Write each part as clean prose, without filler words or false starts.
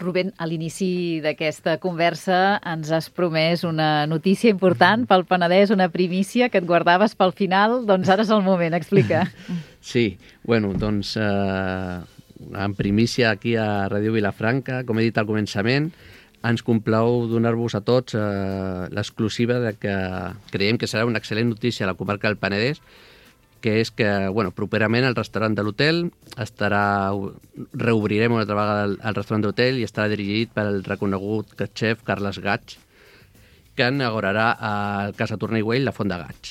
Rubén, a l'inici d'aquesta conversa ens has promès una notícia important pel Penedès, una primícia que et guardaves pel final, doncs ara és el moment, explica. Sí, bueno, doncs en primícia aquí a Ràdio Vilafranca, com he dit al començament, ens complau donar-vos a tots l'exclusiva de que creiem que serà una excel·lent notícia a la comarca del Penedès, que és que, bueno, properament el restaurant de l'hotel reobrirem una altra vegada el restaurant de l'hotel i estarà dirigit pel reconegut xef Carles Gaig, que inaugurarà al Casa Torner i Güell la Font de Gaig.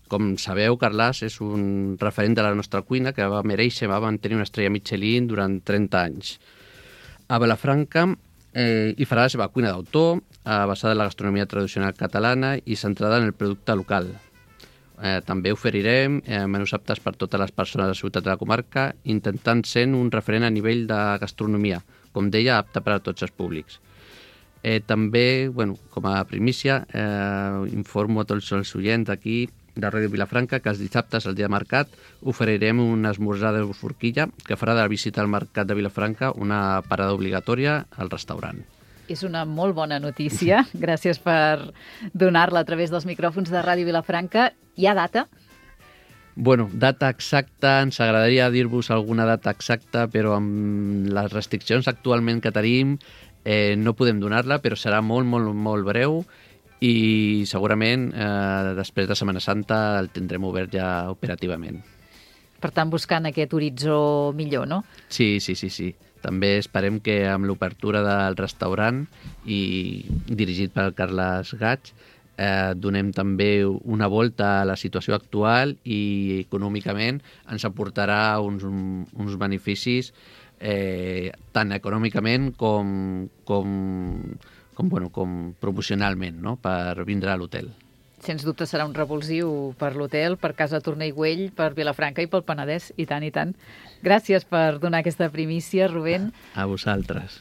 Com sabeu, Carles és un referent de la nostra cuina que va mereixer, va mantenir una estrella Michelin durant 30 anys. A Vilafranca hi farà la seva cuina d'autor, basada en la gastronomia tradicional catalana i centrada en el producte local. També oferirem menús aptes per totes les persones de la ciutat de la comarca, intentant ser un referent a nivell de gastronomia, com deia, apte per a tots els públics. També, bueno, com a primícia, informo a tots els oients aquí de Ràdio Vilafranca que els dissabtes, el dia de mercat, oferirem un esmorzar de forquilla que farà de la visita al mercat de Vilafranca una parada obligatòria al restaurant. És una molt bona notícia. Gràcies per donar-la a través dels micròfons de Ràdio Vilafranca. Hi ha data? Bueno, data exacta, ens agradaria dir-vos alguna data exacta, però amb les restriccions actualment que tenim no podem donar-la, però serà molt, molt, molt breu i segurament després de Setmana Santa el tindrem obert ja operativament. Per tant, buscant aquest horitzó millor, no? Sí. També esperem que amb l'obertura del restaurant i dirigit pel Carles Gaig donem també una volta a la situació actual i econòmicament ens aportarà uns beneficis tant econòmicament com promocionalment, no? Per vindre a l'hotel. Sens dubte serà un revulsiu per l'hotel, per Casa Torner i Güell, per Vilafranca i pel Penedès, i tant, i tant. Gràcies per donar aquesta primícia, Rubén. A vosaltres.